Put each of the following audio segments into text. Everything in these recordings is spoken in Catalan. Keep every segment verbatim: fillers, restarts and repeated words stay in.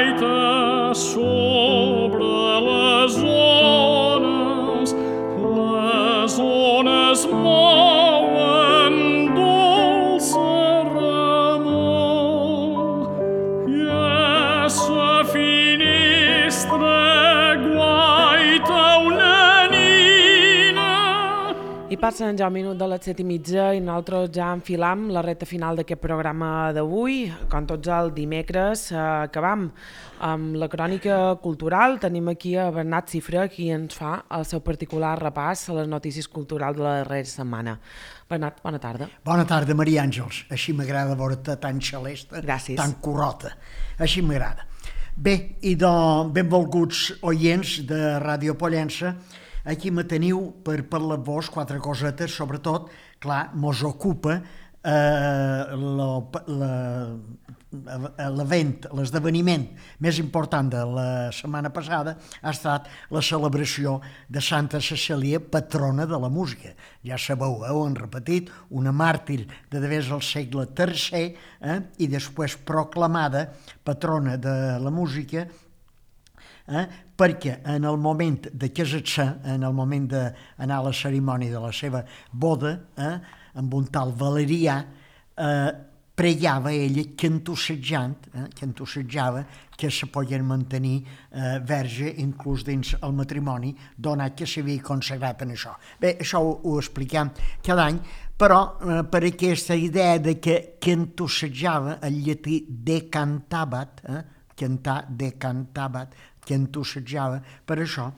gaita sobre les ones, les ones mouen dolça remor, i a sa finestra guaita una nina. I passen ja un minut de les set i mitja i nosaltres ja enfilam la recta final d'aquest programa d'avui. Com tots els dimecres, eh, acabam amb la crònica cultural. Tenim aquí a Bernat Cifra, qui ens fa el seu particular repàs a les notícies culturals de la darrera setmana. Bernat, bona tarda. Bona tarda, Maria Àngels. Així m'agrada veure-te tan xalesta, Gràcies. tan corrota. Així m'agrada. Bé, i de benvolguts oients de Ràdio Pollença, aquí me teniu per parlar-vos quatre cosetes, sobretot, clar, mos ocupa eh, l'event, l'esdeveniment més important de la setmana passada ha estat la celebració de Santa Cecília, patrona de la música. Ja sabeu, heu han repetit, una màrtir de devés al segle tercer eh, i després proclamada patrona de la música, Eh? perquè en el moment de casar-se, en el moment d'anar a la cerimònia de la seva boda, eh? amb un tal Valerià, eh, pregava ella cantussejant, eh? cantussejava que se podien mantenir eh, verge inclús dins el matrimoni, donat que s'havia consagrat en això. Bé, això ho, ho expliquem cada any, però eh, per aquesta idea de que cantussejava, el llatí decantabat, eh? cantar decantabat, que entussejava, per això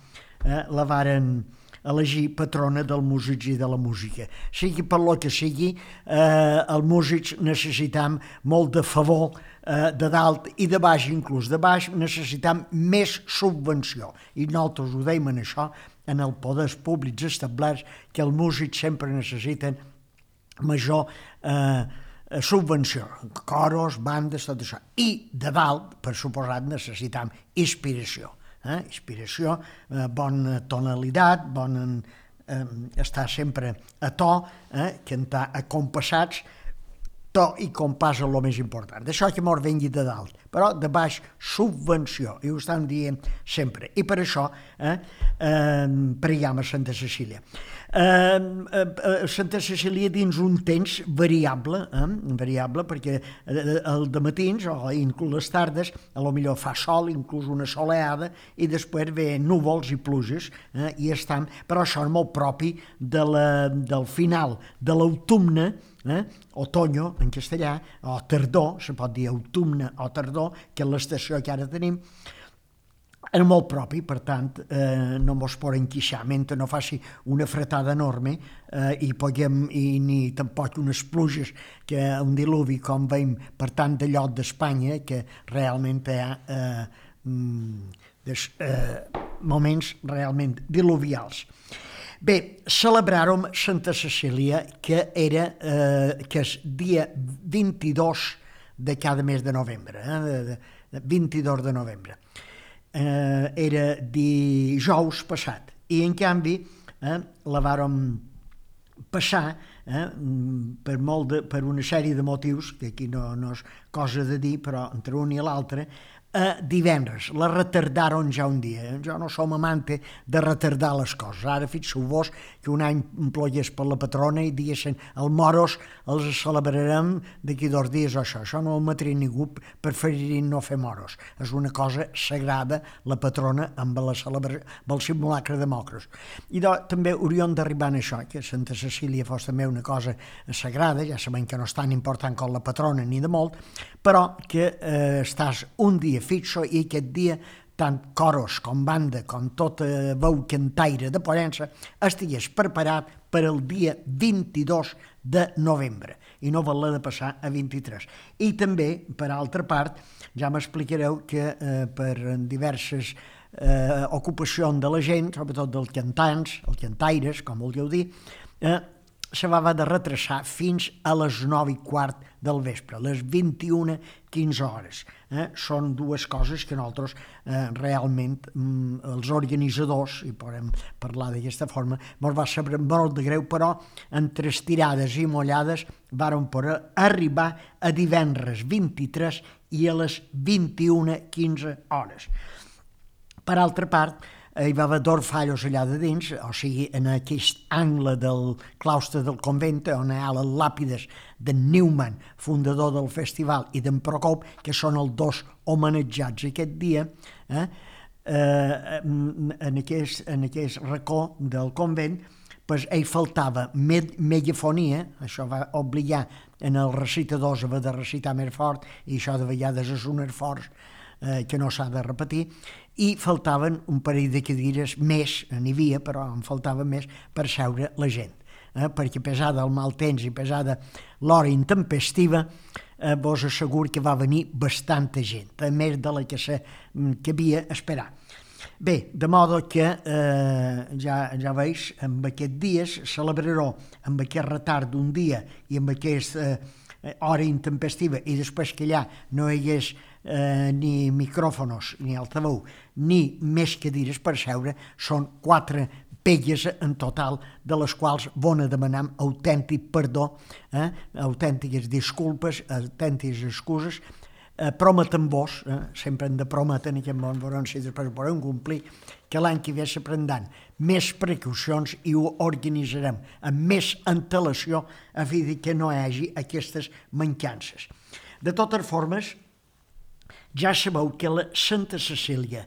eh, la varen elegir patrona dels músics i de la música. Sigui per lo que sigui, eh, els músics necessitam molt de favor eh, de dalt i de baix, inclús de baix, necessitam més subvenció. I nosaltres ho deim en això, en els poders públics establerts, que els músics sempre necessiten major eh, subvenció, coros, bandes, tot això. I de dalt, per suposat, necessitam inspiració. Eh? Inspiració, eh, bona tonalitat, bon, eh, estar sempre a to, eh? cantar acompassats, to i compàs és el més important. D'això que mos vengui de dalt, però de baix subvenció, i ho estem dient sempre. I per això eh, eh, preguem a Santa Cecília. Eh, eh, Santa Cecília dins un temps variable, eh, variable perquè el de matins o inclús les tardes a lo millor fa sol, inclús una soleada, i després ve núvols i pluges, eh, i estan, però això és molt propi de la, del final de l'autumne, eh, otoño en castellà, o tardor, se pot dir autumne o tardor, que és l'estació que ara tenim, és molt propi, per tant, eh, no mos podem queixar, mentre no faci una fretada enorme eh, i, podem, i ni tampoc unes pluges, que un diluvi com veiem per tant de lloc d'Espanya, que realment hi ha eh, des, eh, moments realment diluvials. Bé, celebràrem Santa Cecília, que era eh, que és dia vint-i-dos de cada mes de novembre, eh, de, de vint-i-dos de novembre. Eh, era dijous passat, i en canvi eh, la vàrem passar eh, per, molt de, per una sèrie de motius, que aquí no, no és cosa de dir, però entre un i l'altre, a divendres, la retardaren ja un dia. Jo no som amante de retardar les coses. Ara fixeu-vos que un any plogués per la patrona i diguessin el moros els celebrarem d'aquí dos dies o això. Això no el matria ningú, preferiria no fer moros. És una cosa sagrada, la patrona, amb la celebració, amb el simulacre de mocros. I do, també hauríem d'arribar a això, que Santa Cecília fos també una cosa sagrada, ja sabem que no és tan important com la patrona ni de molt, però que eh, estàs un dia fixo i aquest dia tant coros com banda com tota veu cantaire de Pollença estigués preparat per al dia vint-i-dos de novembre i no vol-la de passar a vint-i-tres. I també, per altra part, ja m'explicareu que eh, per diverses eh, ocupacions de la gent, sobretot dels cantants, els cantaires, com vulgueu dir, eh, se va haver de retrasar fins a les nou i quart del vespre, les vint-i-una quinze hores. Eh? Són dues coses que nosaltres eh, realment, mm, els organitzadors, i podem parlar d'aquesta forma, ens va saber molt de greu, però entre estirades i mollades vàrem poder arribar a divendres vint-i-tres i a les vint-i-una quinze hores. Per altra part, hi va haver dos fallos allà de dins, o sigui, en aquest angle del claustre del convent, on hi ha les làpides d'en Newman, fundador del festival, i d'en Procop, que són els dos homenatjats aquest dia, eh? Eh, en, aquest, en aquest racó del convent, pues, hi faltava med megafonia, això va obligar en els recitadors a haver de recitar més fort, i això de vegades és un esforç eh, que no s'ha de repetir, i faltaven un parell de cadires més, n'hi havia, però en faltaven més per seure la gent, eh? Perquè pesada el mal temps i pesada l'hora intempestiva, eh, vos asseguro que va venir bastanta gent, a més de la que se cabia esperar. Bé, de modo que eh, ja, ja veus, amb aquests dies celebraró amb aquest retard d'un dia i amb aquesta eh, hora intempestiva, i després que allà no hi hagués eh, ni micròfonos, ni altaveu, ni més cadires per seure, són quatre pelles en total, de les quals van a demanar autèntic perdó, eh, autèntiques disculpes, autèntiques excuses. Eh, prometem-vos, eh, sempre hem de prometre en aquest món, veurem si després ho podem complir, que l'any que ve se prendran més precaucions i ho organitzarem amb més antelació a fi que no hi hagi aquestes mancances. De totes formes, ja sabeu que la Santa Cecília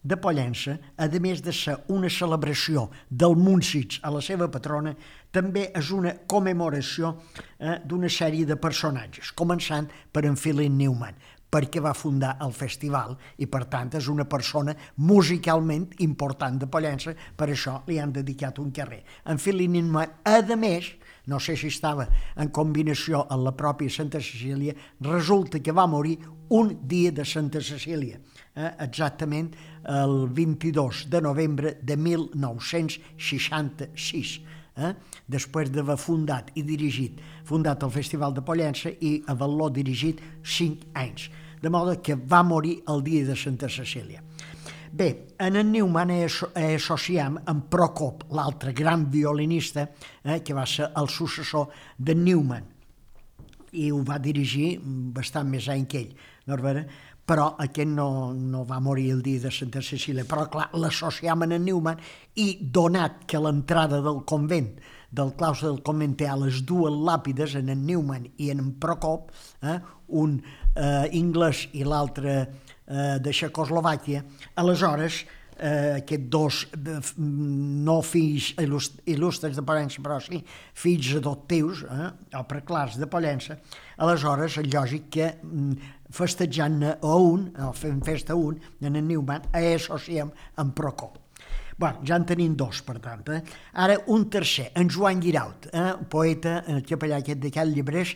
de Pollença, a més de ser una celebració del Múnsics a la seva patrona, també és una commemoració eh, d'una sèrie de personatges, començant per en Philip Newman, perquè va fundar el festival i, per tant, és una persona musicalment important de Pollença, per això li han dedicat un carrer. En Philip Newman, a més, no sé si estava en combinació amb la pròpia Santa Cecília, resulta que va morir un dia de Santa Cecília, eh, exactament el vint-i-dos de novembre de mil nou-cents seixanta-sis, eh, després d'haver fundat i dirigit, fundat el Festival de Pollença i haver-lo dirigit cinc anys, de modo que va morir el dia de Santa Cecília. Bé, en en Newman associem amb Procop, l'altre gran violinista, eh, que va ser el successor de Newman, i ho va dirigir bastant més any que ell, no però aquest no, no va morir el dia de Santa Cecília, però clar, l'associem amb en Newman, i donat que l'entrada del convent, del claustre del convent, té a les dues làpides, en en Newman i en en Procop, eh, un eh, anglès i l'altre eh, de Txecoslovàquia, aleshores eh, aquests dos eh, no fills il·lustres de Pollença, però sí fills adoptius, eh, o preclars de Pollença, aleshores és lògic que festejant a un, o fent festa a un, en en Newman, associem amb Procop. Bueno, ja en tenim dos, per tant. Eh? Ara un tercer, en Joan Guiraut, eh? poeta, el capellà aquest de Cal Llebrers,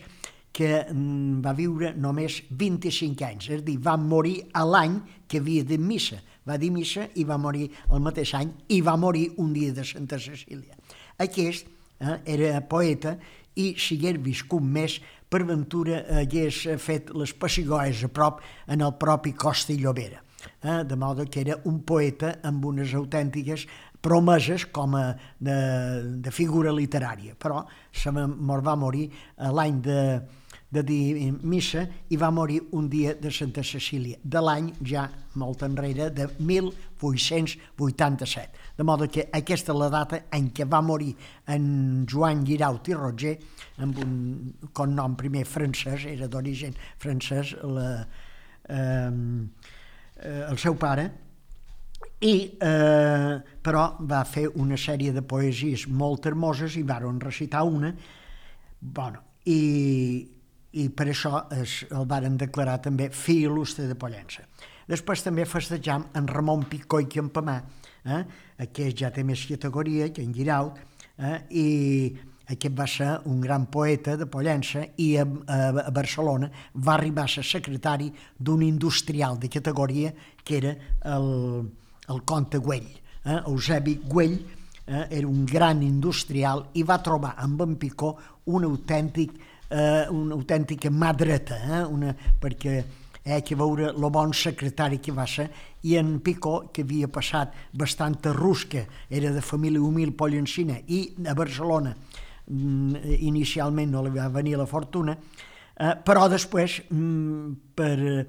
que mm, va viure només vint-i-cinc anys, és a dir, va morir a l'any que havia de missa. Va dir missa i va morir el mateix any, i va morir un dia de Santa Cecília. Aquest eh, era poeta, i si hagués viscut més, per ventura hagués fet les pessigolles a prop en el propi Costa i Llobera. Eh, de modo que era un poeta amb unes autèntiques promeses com a de, de figura literària, però se mos va morir l'any de, de dir missa i va morir un dia de Santa Cecília, de l'any ja molt enrere, de mil vuit-cents vuitanta-set. De modo que aquesta és la data en què va morir en Joan Guiraut i Roger, amb un cognom primer francès, era d'origen francès, la, eh, el seu pare, i eh, però va fer una sèrie de poesies molt hermoses i varen recitar una, bueno, i, i per això es, el varen declarar també fill il·lustre de Pollença. Després també festejam en Ramon Picó i Campamà, eh? Aquest ja té més categoria que en Guiraut, eh? I aquest va ser un gran poeta de Pollença, i a, a, a Barcelona va arribar a ser secretari d'un industrial de categoria que era el, el comte Güell. Eh? Eusebi Güell eh? era un gran industrial i va trobar amb en Picó un autèntic, eh, una autèntica mà dreta, eh? una, perquè eh, que veure el bon secretari que va ser, i en Picó, que havia passat bastanta rusca, era de família humil pollencina, i a Barcelona inicialment no li va venir la fortuna, eh, però després, mm, per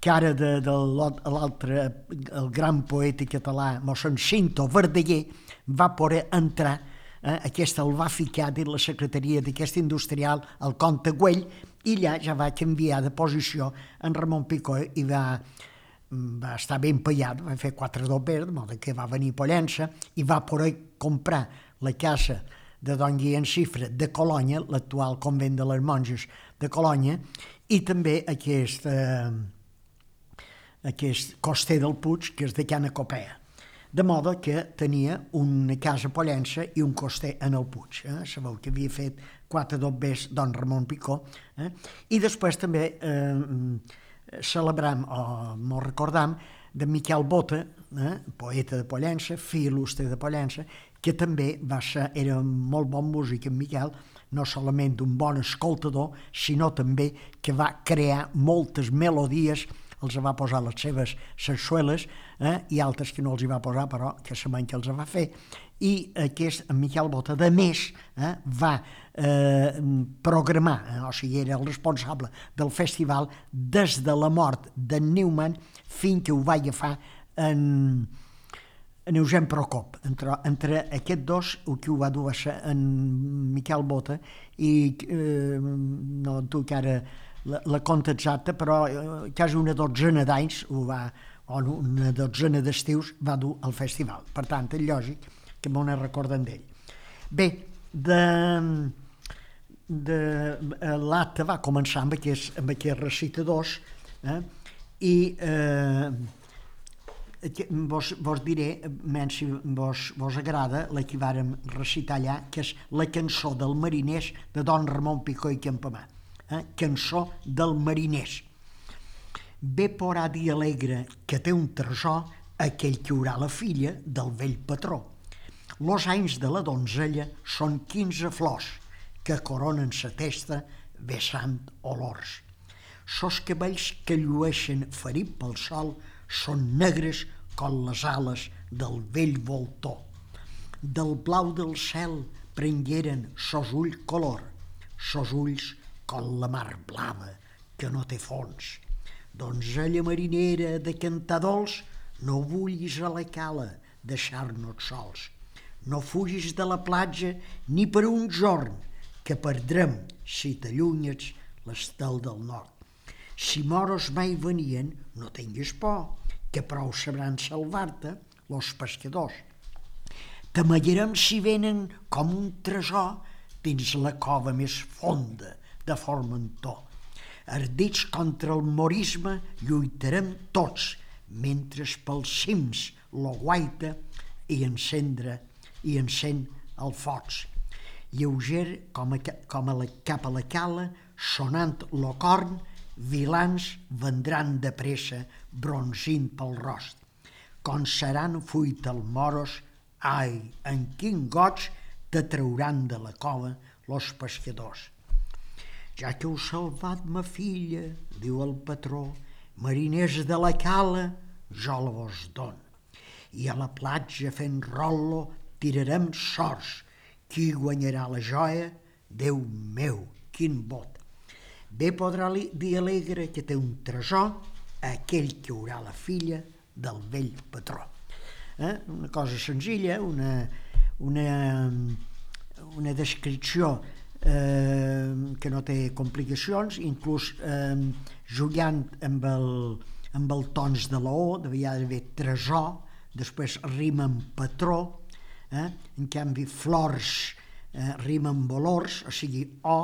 cara de, de l'altre, el gran poeta català, mossèn Cinto Verdaguer, va poder entrar, eh, aquest el va ficar dins la secretaria d'aquest industrial, el comte Güell, i allà ja va canviar de posició en Ramon Picó i va, va estar ben pagat, va fer quatre doblers, de modo que va venir a Pollença i va poder comprar la casa de Don Guillem Xifra de Colònia, l'actual convent de les monges de Colònia, i també aquest, eh, aquest coster del Puig, que és de Cana Copea. De modo que tenia una casa a Pollença i un coster en el Puig. Eh? Sabeu que havia fet quatre doblers Don Ramon Picó. Eh? I després també eh, celebram, o mos recordam, de Miquel Bota, eh? poeta de Pollença, fill il·lustre de Pollença, que també va ser, era molt bon músic en Miquel, no solament un bon escoltador, sinó també que va crear moltes melodies, els va posar les seves sarsueles, eh? i altres que no els hi va posar, però que sabem que els va fer. I aquest, en Miquel Bota, de més, eh? va eh, programar, eh? o sigui, era el responsable del festival des de la mort d'en Neumann fins que ho va agafar en, en Eugen Procop. Entre, entre aquests dos, el que ho va dur a ser en Miquel Bota, i eh, no duc ara la, la compta exacta, però eh, quasi una dotzena d'anys, o una dotzena d'estius, va dur al festival. Per tant, és lògic que m'ho ne recorden d'ell. Bé, de, de, l'acte va començar amb aquests, amb aquests recitadors, eh? i eh, vos, vos diré, menys si vos, vos agrada, la que vàrem recitar allà, que és la cançó del Mariners de Don Ramon Picó i Campamà. Eh? Cançó del Mariners. Bé porà dir alegre que té un tresor aquell que haurà la filla del vell patró. Los anys de la donzella són quinze flors que coronen sa testa vessant olors. Sos cabells que llueixen ferit pel sol són negres com les ales del vell voltor. Del blau del cel prengueren sos ull color, sos ulls com la mar blava que no té fons. Donzella marinera de cantar dolç, no vulguis a la cala deixar-nos sols. No fugis de la platja ni per un jorn, que perdrem si t'allunyes l'estel del nord. Si moros mai venien, no tinguis por, que prou sabran salvar-te los pescadors. T'amallarem si venen com un tresor dins la cova més fonda de Formentor. Ardits contra el morisme lluitarem tots, mentre pels cims lo guaita i encendre i encén el focs. Lleuger com a, com a la, cap a la cala, sonant lo corn, vilans vendran de pressa bronzint pel rost. Com seran fuit el moros, ai, en quin goig te trauran de la cova los pescadors. Ja que heu salvat ma filla, diu el patró, mariners de la cala, jo la vos don. I a la platja fent rollo tirarem sorts. Qui guanyarà la joia? Déu meu, quin bot. Bé podrà dir alegre que té un tresor aquell que haurà la filla del vell patró. Eh? Una cosa senzilla, una, una, una descripció eh, que no té complicacions, inclús eh, jugant amb el, amb el tons de la O, devia haver tresor, després rima amb patró, eh? En canvi flors eh, rima amb olors, o sigui O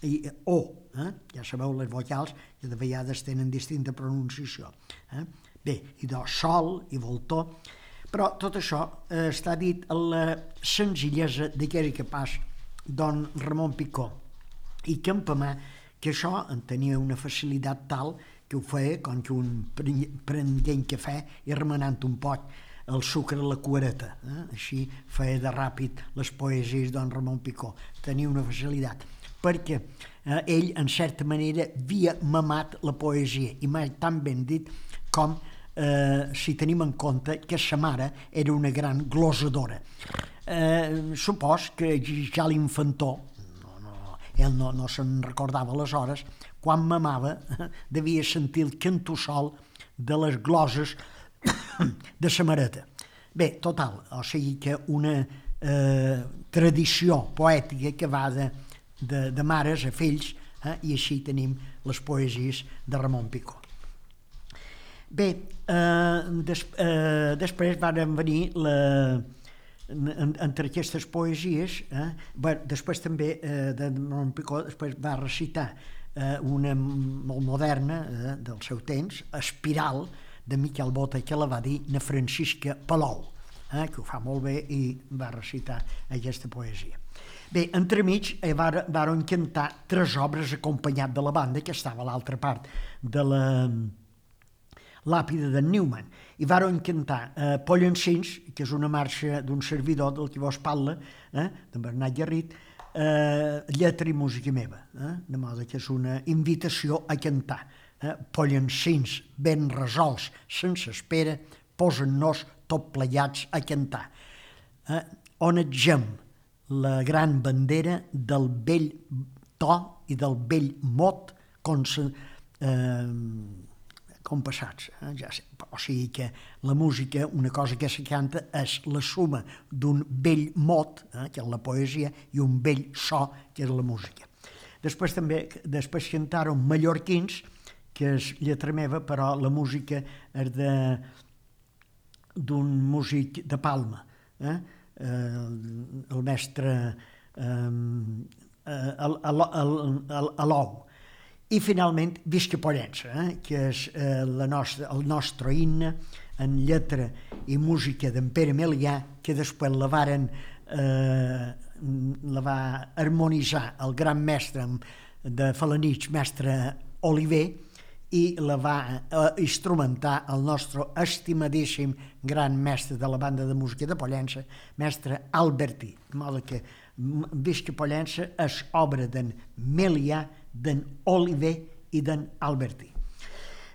i O, eh? Ja sabeu les vocals que de vegades tenen distinta pronunciació. Eh? Bé, i de sol i voltor, però tot això eh, està dit a la senzillesa d'aquell que pas Don Ramon Picó i Campamà, que això en tenia una facilitat tal que ho feia com que un prenguent cafè i remenant un poc el sucre a la cuereta. Eh? Així feia de ràpid les poesies Don Ramon Picó. Tenia una facilitat. Perquè eh, ell, en certa manera, havia mamat la poesia, i mai tan ben dit com eh, si tenim en compte que sa mare era una gran glosadora. Eh, supos que ja l'infantó, no, no, ell no, no se'n recordava aleshores, quan mamava devia sentir el cantussol de les gloses de sa mareta. Bé, total, o sigui que una eh, tradició poètica que va de, de, de mares a fills, eh, i així tenim les poesies de Ramon Picó. Bé, eh, des, eh, després van venir la, en, entre aquestes poesies, eh, bé, després també eh, de Ramon Picó després va recitar eh, una molt moderna eh, del seu temps, Espiral, de Miquel Bota, que la va dir na Francisca Palou, eh, que ho fa molt bé i va recitar aquesta poesia. Bé, entremig eh, varen cantar tres obres acompanyat de la banda, que estava a l'altra part de la làpida de Newman, i varen cantar eh, Pollancins, que és una marxa d'un servidor del que vos parla, eh, de Bernat Garrit, eh, lletra i música meva, eh, de modo que és una invitació a cantar. Eh, Pollancins ben resolts, sense espera, posen-nos tot plegats a cantar. Eh, onetgem la gran bandera del vell to i del vell mot com, se, eh, com passats. Eh, ja sé. O sigui que la música, una cosa que se canta és la suma d'un vell mot, eh, que és la poesia, i un vell so, que és la música. Després també després cantaron Mallorquins, que és lletra meva, però la música és d'un músic de Palma, eh? Eh, el mestre eh, Alou. I finalment Visca Pollença, eh? que és eh, la nostra, el nostre himne en lletra i música d'en Pere Melià, que després la varen eh, la va harmonitzar el gran mestre de Falanich, mestre Oliver, i la va eh, instrumentar el nostre estimadíssim gran mestre de la banda de música de Pollença, mestre Albertí. De modo que Visca Pollença és obra d'en Melià, d'en Oliver i d'en Albertí.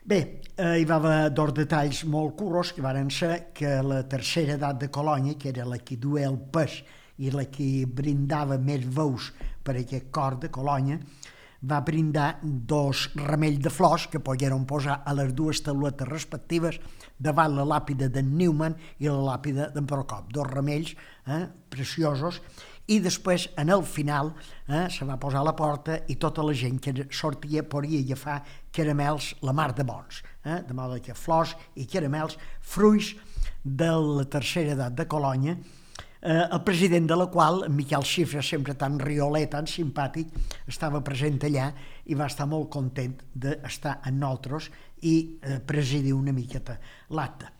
Bé, eh, hi va haver dos detalls molt curros que varen ser que la tercera edat de Colònia, que era la que duia el pes i la que brindava més veus per aquest cor de Colònia, va brindar dos ramells de flors que pogueren posar a les dues tauletes respectives davant la làpida d'en Newman i la làpida d'en Procop. Dos ramells eh, preciosos, i després, en el final, eh, se va posar a la porta i tota la gent que sortia podia agafar caramels la mar de bons. Eh, de modo que flors i caramels, fruits de la tercera edat de Colònia, Eh, el president de la qual, en Miquel Xifra, sempre tan rioler, tan simpàtic, estava present allà i va estar molt content d'estar amb nosaltres i eh, presidir una miqueta l'acte.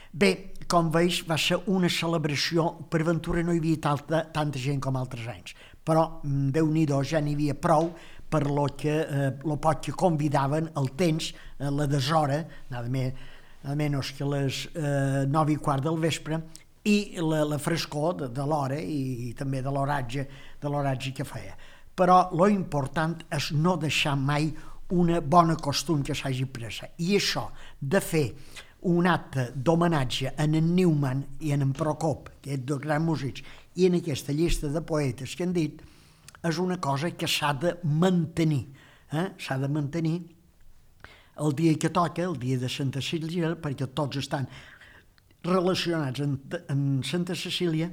Bé, com veus, va ser una celebració, per ventura no hi havia tanta, tanta gent com altres anys, però Déu-n'hi-do, ja n'hi havia prou per lo que eh, lo poc que convidaven el temps, eh, la deshora, nada més, nada menys que les eh, nove i quart del vespre, i la, la frescor de, de l'hora i, i també de l'oratge de l'oratge que feia. Però lo important és no deixar mai una bona costum que s'hagi pres. I això de fer un acte d'homenatge en en Newman i en en Procop, que és dos grans músics, i en aquesta llista de poetes que han dit, és una cosa que s'ha de mantenir. Eh? S'ha de mantenir el dia que toca, el dia de Santa Cecília, perquè tots estan relacionats amb, amb Santa Cecília,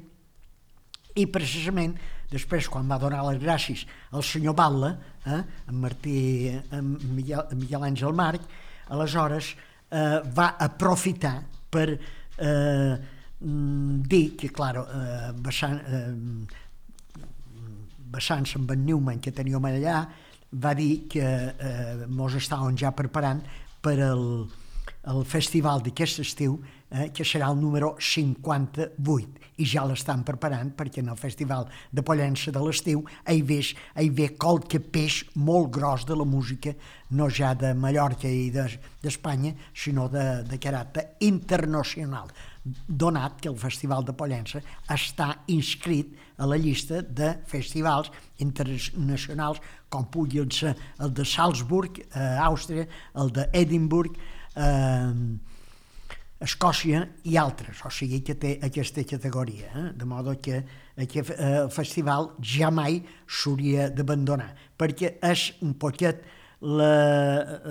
i precisament després, quan va donar les gràcies al senyor Batlle, eh, en Martí, en Miguel, en Miguel Àngel Marc, aleshores eh, va aprofitar per eh, dir que, clar, eh, basant, eh, basant-se amb en Newman, que teníem allà, va dir que eh, mos estàvem ja preparant per el, el festival d'aquest estiu, eh, que serà el número cinquanta-vuit, i ja l'estan preparant perquè en el festival de Pollença de l'estiu hi ve, hi ve qualque peix molt gros de la música, no ja de Mallorca i d'Espanya, de, sinó de, de caràcter internacional, donat que el Festival de Pollença està inscrit a la llista de festivals internacionals com puguin ser el de Salzburg, a Àustria, el d'Edimburg, eh, Escòcia i altres, o sigui que té aquesta categoria, eh? De modo que aquest eh, festival ja mai s'hauria d'abandonar, perquè és un poquet la,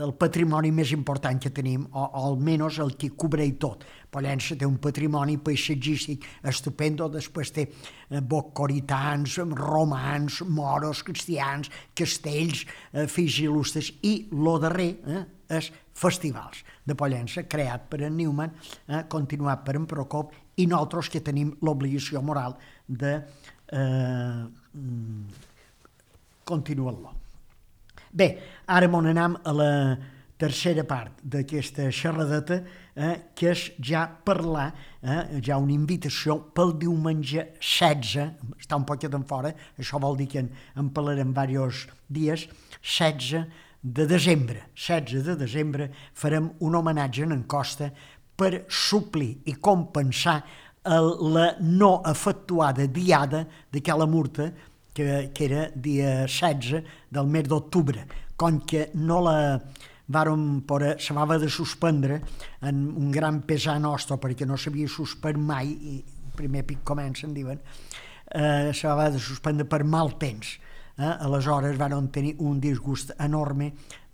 el patrimoni més important que tenim, o, o almenys el que cobreix tot. Pollença té un patrimoni paisatgístic estupendo, després té eh, bocoritans, romans, moros, cristians, castells, eh, fills il·lustres, i el darrer eh, és festivals de Pollença, creat per en Newman, eh, continuat per en Procop, i nosaltres que tenim l'obligació moral de eh, continuar-lo. Bé, ara m'on anem a la tercera part d'aquesta xerradeta, eh, que és ja parlar, eh, ja una invitació pel diumenge setze, està un poquet en fora, això vol dir que en, en parlarem diversos dies, setze de desembre. setze de desembre farem un homenatge en Costa per suplir i compensar la no efectuada diada d'aquella murta que, que era dia setze del mes d'octubre, com que no la vàrem poder, se va haver de suspendre en un gran pesar nostre, perquè no s'havia suspès mai, i el primer pic comença, en diuen, eh, se va haver de suspendre per mal temps. Eh? Aleshores vàrem tenir un disgust enorme,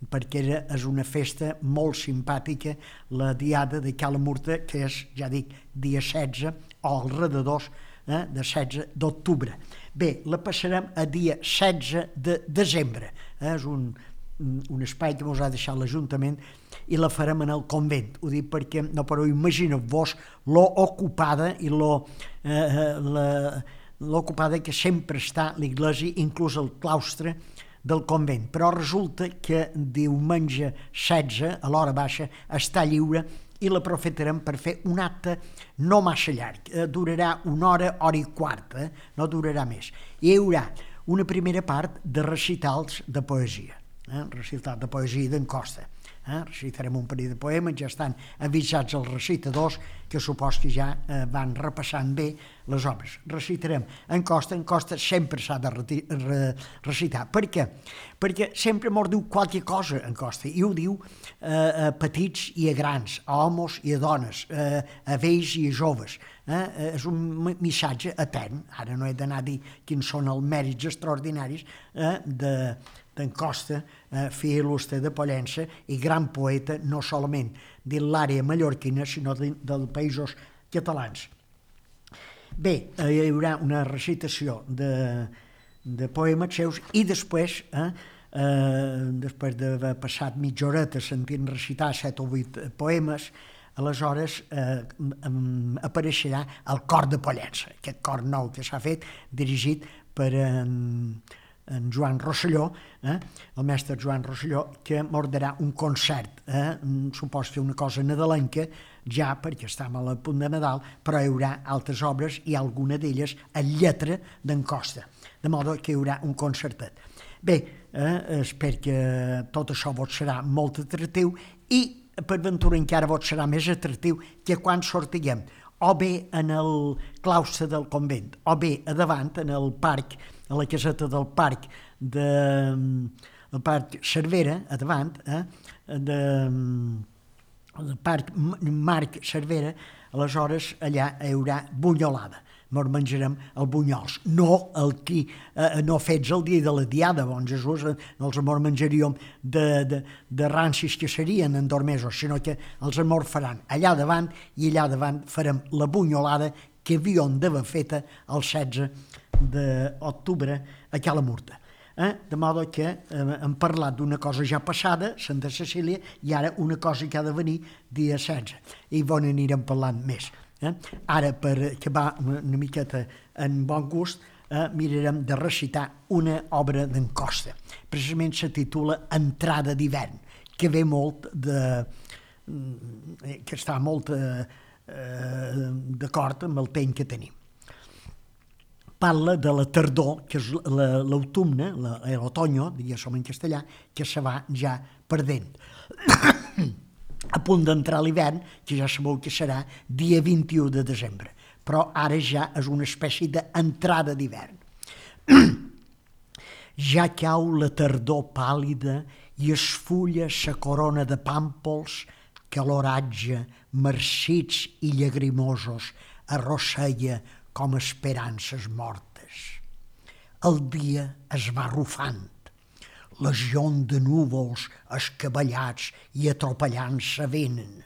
perquè era, és una festa molt simpàtica, la diada de Cala Murta, que és, ja dic, dia setze, o als redadors eh, de setze d'octubre. Bé, la passarem a dia setze de desembre. Eh? És un, un espai que ens ha deixat l'Ajuntament i la farem en el convent. Ho dic perquè no podeu imaginar-vos lo ocupada i lo, eh, la, l'ocupada que sempre està l'església, inclús el claustre del convent. Però resulta que diumenge setze, a l'hora baixa, està lliure i l'aprofitarem per fer un acte no massa llarg. Eh, durarà una hora, hora i quarta, eh? No durarà més. Hi haurà una primera part de recitals de poesia, eh? Recital de poesia d'en Costa. Eh? Recitarem un parell de poemes, ja estan avisats els recitadors, que supos que ja eh, van repassant bé les obres. Recitarem en Costa, en Costa sempre s'ha de re re recitar. Per què? Perquè sempre mos diu qualque cosa en Costa, i ho diu eh, a petits i a grans, a homes i a dones, eh, a vells i a joves. Eh? És un missatge etern. Ara no he d'anar a dir quins són els mèrits extraordinaris eh, de d'en Costa, eh, fill il·lustre de Pollença i gran poeta no solament de l'àrea mallorquina, sinó de, dels països catalans. Bé, eh, hi haurà una recitació de, de poemes seus i després, eh, eh, després d'haver passat mitja horeta sentint recitar set o vuit poemes, aleshores eh, apareixerà el cor de Pollença, aquest cor nou que s'ha fet, dirigit per en... en Joan Rosselló, eh, el mestre Joan Rosselló, que m'ordarà un concert, eh, supos que una cosa nadalenca, ja perquè estem a punt de Nadal, però hi haurà altres obres i alguna d'elles en lletra d'en Costa, de modo que hi haurà un concertet. Bé, eh, espero que tot això vos serà molt atractiu i per ventura encara vos serà més atractiu que quan sortiguem o bé en el claustre del convent, o bé a davant, en el parc, a la caseta del parc de el parc Cervera, a davant, eh, de, el parc Marc Cervera, aleshores allà hi haurà bunyolada. Ens menjarem els bunyols, no el que eh, no fets el dia de la diada, bon Jesús, eh, no els ens menjaríem de, de, de rancis que serien endormesos, sinó que els ens faran allà davant i allà davant farem la bunyolada que havíem d'haver feta el setze d'octubre a Cala Murta. Eh? De modo que eh, hem parlat d'una cosa ja passada, Santa Cecília, i ara una cosa que ha de venir dia setze, i bon anirem parlant més. Eh? Ara, per acabar una miqueta en bon gust, eh, mirarem de recitar una obra d'en Costa. Precisament se titula Entrada d'hivern, que ve molt de... que està molt eh, d'acord amb el temps que tenim. Parla de la tardor, que és l'autumne, l'otoño, diguéssim en castellà, que se va ja perdent. A punt d'entrar l'hivern, que ja sabeu que serà dia vint-i-u de desembre, però ara ja és una espècie d'entrada d'hivern. Ja cau la tardor pàl·lida i es fulla sa corona de pàmpols que l'oratge, marcits i llagrimosos, arrosseia com esperances mortes. El dia es va arrufant. Legions de núvols escabellats i atropellant-se venen.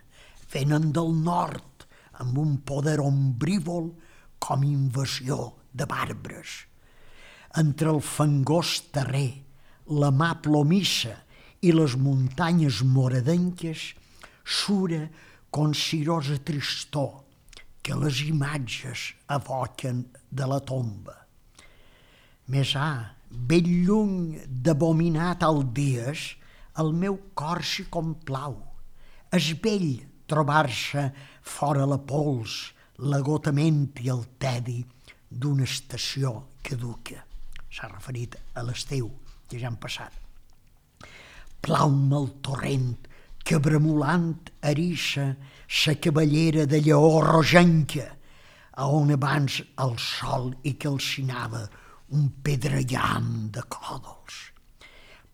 Venen del nord amb un poder ombrívol com invasió de bàrbars. Entre el fangós terrer, la mà plomissa i les muntanyes moradenques sura con cirosa tristor que les imatges evoquen de la tomba. Més ha, ben lluny d'abominar tal dies, el meu cor s'hi complau. És bell trobar-se fora la pols, l'agotament i el tedi d'una estació caduca. S'ha referit a l'estiu, que ja han passat. Plau-me el torrent que bremolant eriça sa cavallera de lleó rogenca, a on abans el sol hi calcinava un pedregam de còdols.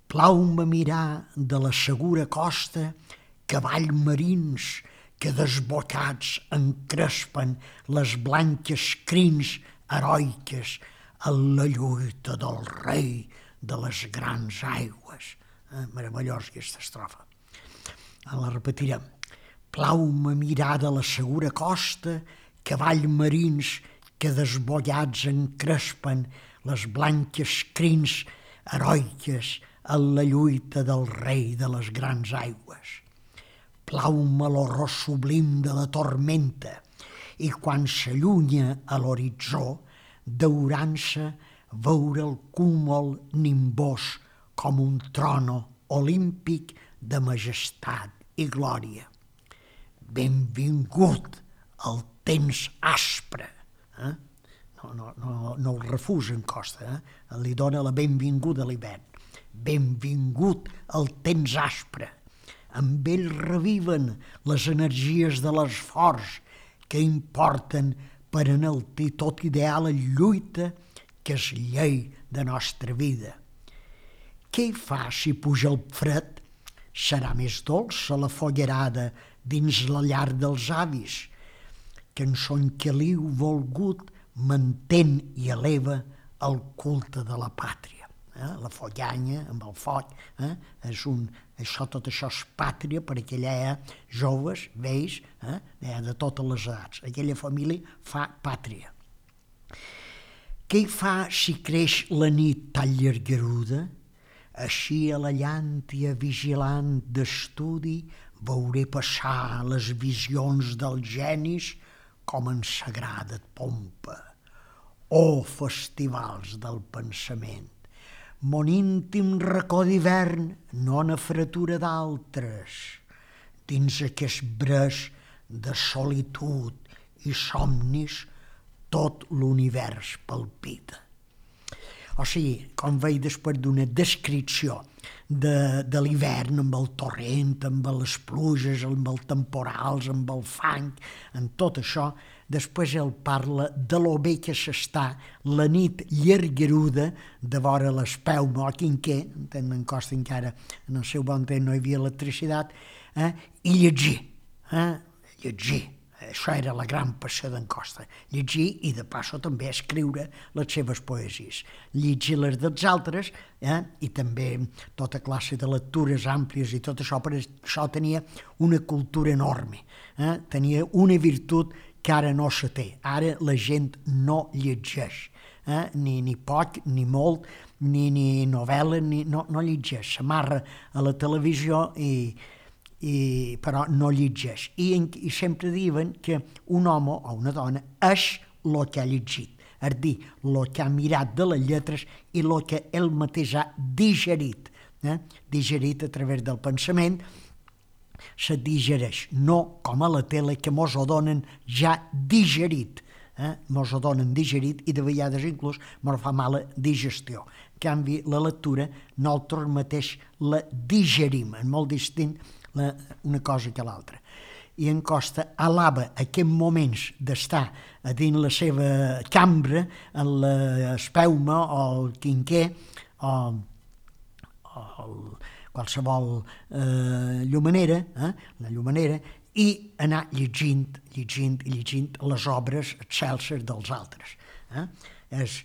Plau-me mirar de la segura costa cavalls marins que desbocats encrespen les blanques crins heroiques en la lluita del rei de les grans aigües. Eh, meravellós aquesta estrofa. La repetirem. Plau-me mirar de la segura costa cavalls marins que desbollats encrespen les blanques crins heroiques en la lluita del rei de les grans aigües. Plau-me l'horror sublim de la tormenta i quan s'allunya a l'horitzó, daurant-se veure el cúmul nimbós com un trono olímpic de majestat i glòria. Benvingut al temps aspre. Eh? No, no, no, no el refusa en Costa, eh? Li dona la benvinguda a l'hivern. Benvingut al temps aspre. Amb ell reviven les energies de l'esforç que importen per enaltir tot ideal en lluita que és llei de nostra vida. Què hi fa si puja el fred? Serà més dolça la follerada dins la llar dels avis, que en son caliu volgut mantén i eleva el culte de la pàtria. Eh? La follanya amb el foc, eh? és un, això, tot això és pàtria per aquella eh? joves, vells, eh? de totes les edats. Aquella família fa pàtria. Què hi fa si creix la nit tan llargaruda? Així a la llàntia vigilant d'estudi veuré passar les visions dels genis com en sagrada pompa. Oh, festivals del pensament! Mon íntim racó d'hivern no na fretura d'altres, dins aquest breix de solitud i somnis tot l'univers palpita. O sigui, com veig després d'una descripció de, de l'hivern amb el torrent, amb les pluges, amb els temporals, amb el fang, amb tot això, després ell parla de lo bé que s'està la nit llargaruda de vora l'espelma o quinquer, en Costa encara en el seu bon temps no hi havia electricitat, eh? I llegir, eh? llegir. Això era la gran passió d'en Costa, llegir i de passo també escriure les seves poesies, llegir les dels altres eh? I també tota classe de lectures àmplies i tot això, per això tenia una cultura enorme, eh? Tenia una virtut que ara no se té, ara la gent no llegeix, eh? ni, ni poc, ni molt, ni, ni novel·la, ni, no, no llegeix, s'amarra a la televisió i I, però no llegeix. I, I sempre diuen que un home o una dona és el que ha llegit, és a dir, el que ha mirat de les lletres i el que ell mateix ha digerit. Eh? Digerit a través del pensament, se digereix, no com a la tele que mos ho donen ja digerit. Eh? Mos ho donen digerit i de vegades inclús mos fa mala digestió. En canvi, la lectura nosaltres mateix la digerim, és molt distint la, una cosa que l'altra. I en Costa alaba aquests moments d'estar a dins la seva cambra, en l'espelma o el quinquer, o, o el, qualsevol eh, llumanera, eh, la llumanera, i anar llegint, llegint i llegint les obres excelses dels altres. Eh? És,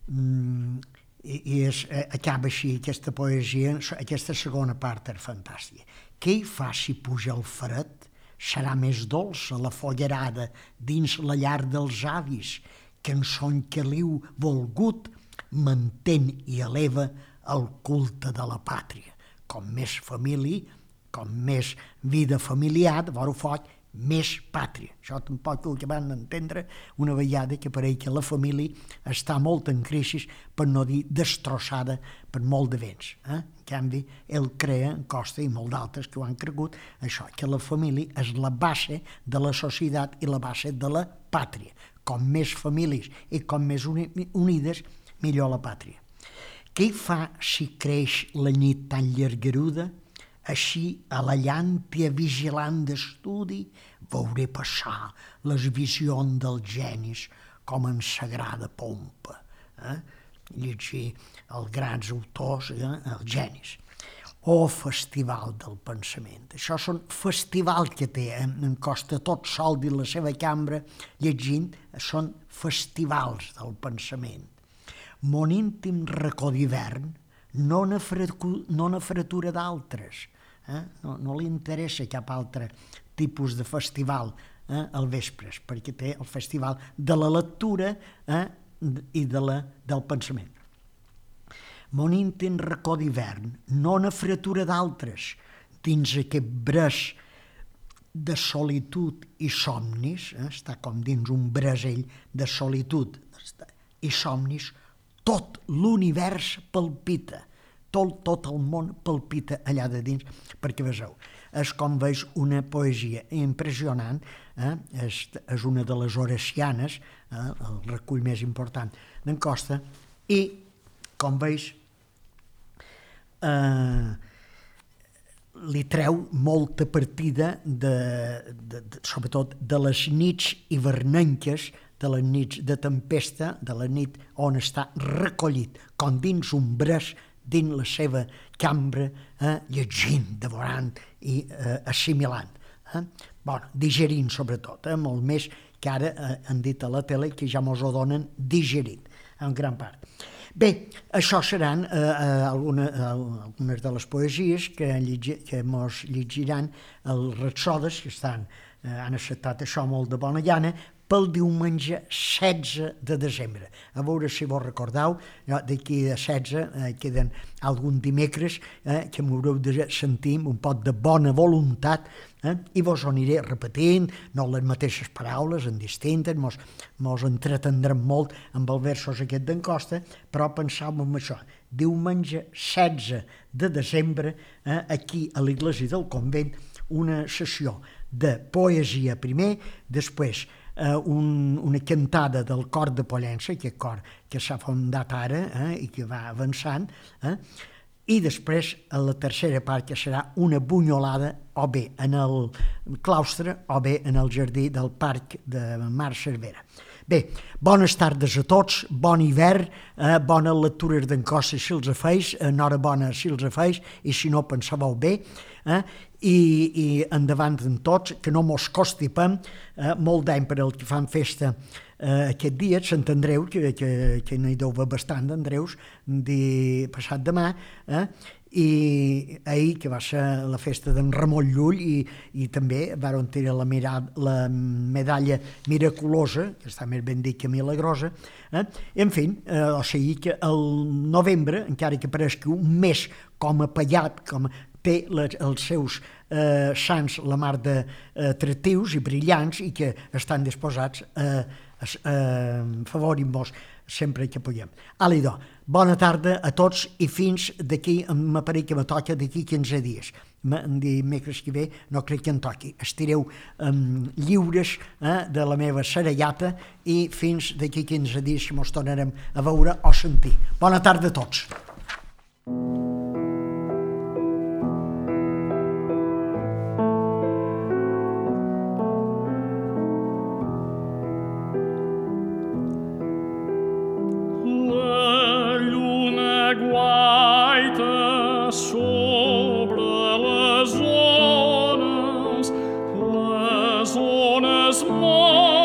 mm, i, i és, eh, acaba així aquesta poesia, aquesta segona part és fantàstica. Què hi fa si puja el fred? Serà més dolça la follerada dins la llar dels avis, que en son caliu volgut mantén i eleva el culte de la pàtria. Com més família, com més vida familiar, de vora foc, més pàtria. Això tampoc ho acaben d'entendre una vegada que pareix que la família està molt en crisi, per no dir destrossada per molt de vents. Eh? En canvi, ell crea, en Costa i molt d'altres que ho han cregut, això, que la família és la base de la societat i la base de la pàtria. Com més famílies i com més uni unides, millor la pàtria. Què hi fa si creix la nit tan llargaruda? Així, a la llàntia vigilant d'estudi, veuré passar les visions dels genis com en sagrada pompa. Eh? Llegir els grans autors, eh? els genis. Oh, festival del pensament. Això són festival que té, eh? en Costa tot sol dins la seva cambra, llegint, són festivals del pensament. Mon íntim racó d'hivern, no na fretura d'altres. Eh? No, no li interessa cap altre tipus de festival eh, al vespres, perquè té el festival de la lectura eh, i de la, del pensament. Mon íntim racó d'hivern, no na fretura d'altres, dins aquest breix de solitud i somnis, eh, està com dins un brasell de solitud i somnis, tot l'univers palpita, tot, tot el món palpita allà de dins, perquè veieu, és com veus una poesia impressionant, eh? és, és una de les horacianes, eh? el recull més important d'en Costa, i com veus, eh, li treu molta partida, de, de, de, sobretot de les nits hivernenques, de les nits de tempesta, de la nit on està recollit, com dins un breix, dins la seva cambra, eh, llegint, devorant i eh, assimilant. Eh? Bueno, digerint sobretot, eh, molt més que ara eh, han dit a la tele que ja mos ho donen digerint, en gran part. Bé, això seran eh, alguna, algunes de les poesies que, llegi, que mos llegiran els Rapsodes, que estan, eh, han acceptat això molt de bona llana, pel diumenge setze de desembre. A veure si vos recordeu, d'aquí a setze eh, queden algun dimecres eh, que m'haureu de sentir un poc de bona voluntat eh, i vos ho aniré repetint, no les mateixes paraules, en distintes, mos, mos entretendrem molt amb els versos aquest d'en Costa, però pensàvem en això. Diumenge setze de desembre, eh, aquí a l'església del convent, una sessió de poesia primer, després Uh, un, una cantada del cor de Pollença, aquest cor que s'ha fundat ara eh, i que va avançant, eh, i després a la tercera part que serà una bunyolada o bé en el claustre o bé en el jardí del parc de Mar Cervera. Bé, bones tardes a tots, bon hivern, eh, bones lectures d'en Costa si els afeix, enhorabona si els afeix, i si no pensàveu bé, eh, i, i endavant en tots, que no mos costi pam, eh, molt d'any per al que fan festa eh, aquest dia, Sant Andreu, que, que, que n'hi deu haver bastant d'Andreus, de passat demà, eh, i ahir, que va ser la festa d'en Ramon Llull, i, i també van tenir la, mirada, la medalla miraculosa, que està més ben dit que milagrosa, eh? En fi, eh, o sigui que el novembre, encara que pareixi un mes com a pallat, com té les, els seus eh, sants la mar d'atractius i brillants i que estan disposats a eh, eh, favorir-vos sempre que puguem. Alidò, bona tarda a tots i fins d'aquí, m'apareix que me toca d'aquí quinze dies. Dimecres que ve no crec que em toqui. Estireu um, lliures eh, de la meva serellata i fins d'aquí quinze dies que mos tornarem a veure o sentir. Bona tarda a tots. La lluna guaita sol sol